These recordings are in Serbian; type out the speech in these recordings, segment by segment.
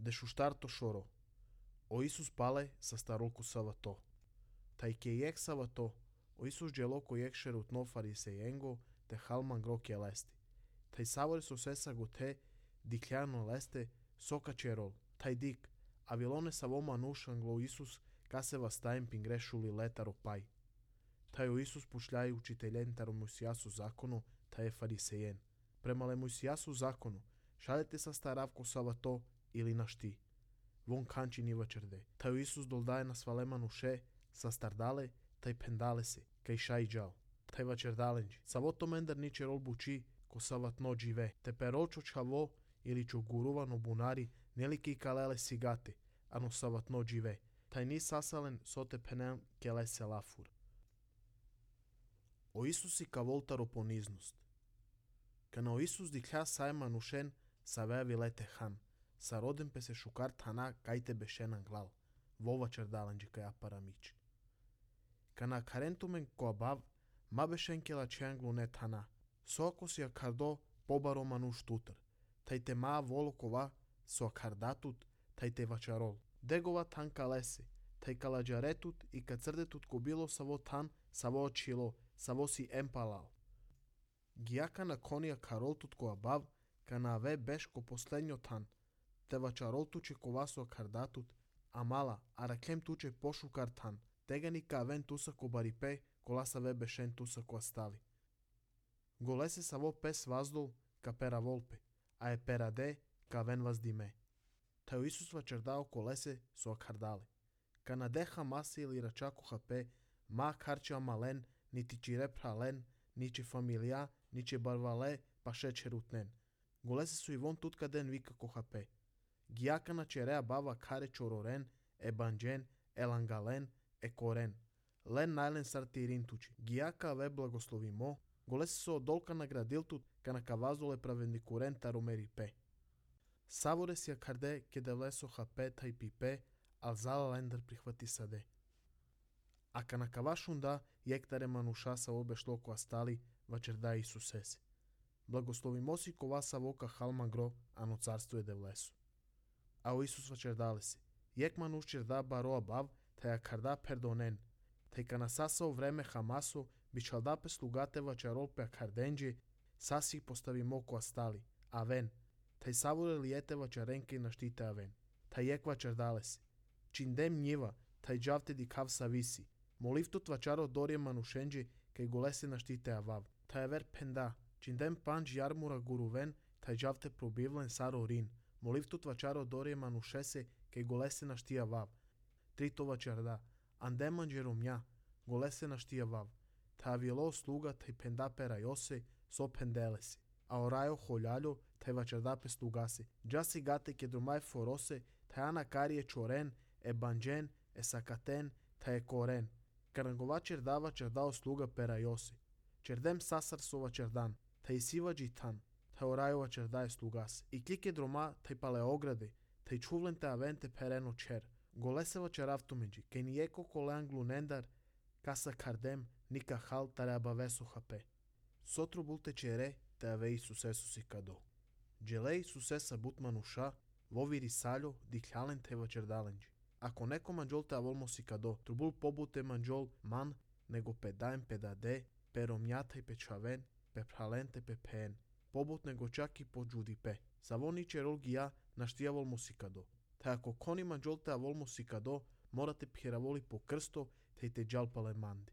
Дешуштарто шоро. O Isus pale sa starolku savato. Tai kejek savato, o Isus geloko jekšerut no farisejengo te halman grok jelesti. Tai savore so sesa gote dikljano leste soka čerol. Tai dik, avilone savoma nušanglo Isus kase vastajem pingrešuli letaro paj. Tai o Isus pušljaj učiteljen taro Mojsijasu zakonu, taj je farisejen. Premale Mojsijasu zakonu, šalete sa staravko savato ili našti. Von kanči ni večerde. Tai o Isus doldaje na svalemanu še, sa stardale, taj pendale se, kaj šaj džal. Tai večerdalenđi. Savoto mendar niče rol buči, ko savatno džive. Te peročo čavo ili čo guruvano bunari, neliki kalele sigate, ano savatno džive. Tai ni sasalen sote penel kele se lafur. O Isusi ka voltaro poniznost. Kana o Isus diklja sajma nušen sa vevi lete han. Sa rodem pe se šukar tana kajte bešenan glal. Vova čerdalanđi kaj aparamič. Kana karentumen ko abav, ma bešenkela čenglu ne tana. So ako si akardo pobaro manuš tutar. Taj te ma volokova so akardatut, taj te vačarol. Degova tanka lese, taj kalađaretut i kad crdetut ko bilo savo tan, savo očilo, savo si empalal. Gijaka na konija karoltut ko abav, kana ave beš ko poslednjo tan. Te vačarol tuče kovaso akardatut, a mala, a raklem tuče pošukar tan. Tegani ka aven tusa ko baripe, kolasa ve bešen tusa ko astali. Golese savo pes vazdol ka pera volpe, a e pera de ka aven vazdime. Taj Isus vačerdao kolese so akardale. Kana deha masi ili račako hape, ma karča malen, niti čire pralen, niče familija, niče barvale, pa šećerutnen. Golese su i von tutka den vika ko hape. Gijaka na čerea bava kare čororen, e banđen, e langalen, e koren. Len najlen sartirin tuči. Gijaka ve blagoslovimo, golese so odolka nagradiltut, kana kavazole pravendikuren taromeri pe. Savore si akarde kede vleso hape taj pipe, al zala lender prihvati sade. A kana kavašunda jektare manuša sa obe šloko astali, vačerda Isusese. Blagoslovimo si ko vasa voka halma gro, ano carstvo je de vleso. A o Isus vačerdale si. Jek manuš čerda baro abav, taj akarda perdonen. Taj kana sasao vreme hamaso, bičalda pe slugate vačarol pe akardenđe, sasi postavimo ko astali. A ven, taj savore lijete vačarenke na štite aven. Taj jek vačerdale si. Čindem njiva, taj džavte di kav savisi. Molivtut vačaro dorje manušenđe, kaj golese na štite avav. Taj ver penda, čindem panđ jarmura guruven, taj džavte probivlen saro rin. Molivtut vačaro dorje manušese, kaj golese na štija vav. Trito vačarda, andemanđe romja, golese na štija vav. Taj avilo sluga, taj penda pera jose, so pendelesi. A orajo holjaljo, taj vačarda pe slugase. Džasi gate kedrumaj forose, taj ana karije čoren, e banđen, e sakaten, taj e koren. Karangova čerda vačardao sluga pera jose. Čerdem sasar so vačardan, taj siva džitan, taj orajo vačarda je slugase. I klike droma, taj pale ograde, taj čuvlen te avente pereno čer. Golese vačaravtumeđi, kaj nijeko kolean glunendar, kasa kardem, nika hal tare abaveso hape. Sotru bulte čere, te ave Isusesusi kado. Džele Isusesa but manuša, voviri saljo, diklalen te vačerdalenđi. Ako neko manđol te avolmo si kado, trubul pobute manđol man, nego pedajem pedade, peromjataj pečaven, pepralente pepen, pobut nego čak i po džudipe. Savoniče rol gija, naštija volmo si kado. Te ako koni manđol te avolmo si kado, morate pjeravoli po krsto, te te džalpale mandi.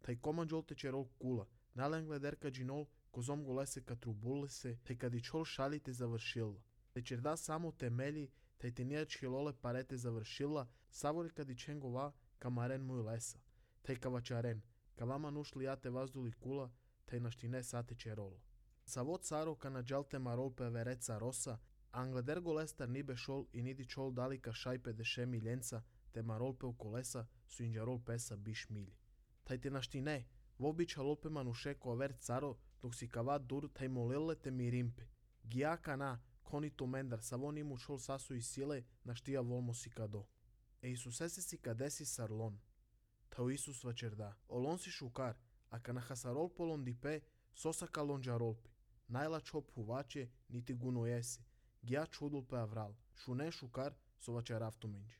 Taj komanđol te čerol kula, nalen glederka džinol, kozom golese ka trubule se, te kad i čol šalite završila. Te čerda samo temelji, taj te nija čilole parete završila, savore kad i čengova kamaren muj lesa. Taj kavačaren, kavama nušli jate vazduli kula, taj naštine sate čerola. Savo caro kana džalte marol pe vereca rosa, angleder golestar nibe šol i nidi čol dalika šajpe deše miljenca, te marol pe u kolesa su inđarol pesa biš milji. Taj te naštine, vobića lolpe manuše ko ver caro, dok si kava dur taj molile te mirimpe. Gijaka na, koni to mendar, savon imu čol sasu i sile, naštija volmo si kado. E Isusese si kadesi sarlon. Tao Isus vačerda, olon si šukar, a kana hasarol polon dipe, sosa kalon džarolpe. Najla čop huvače, niti guno jese. Gija čudul pe avral. Шунен шукар со вачерафту минчи.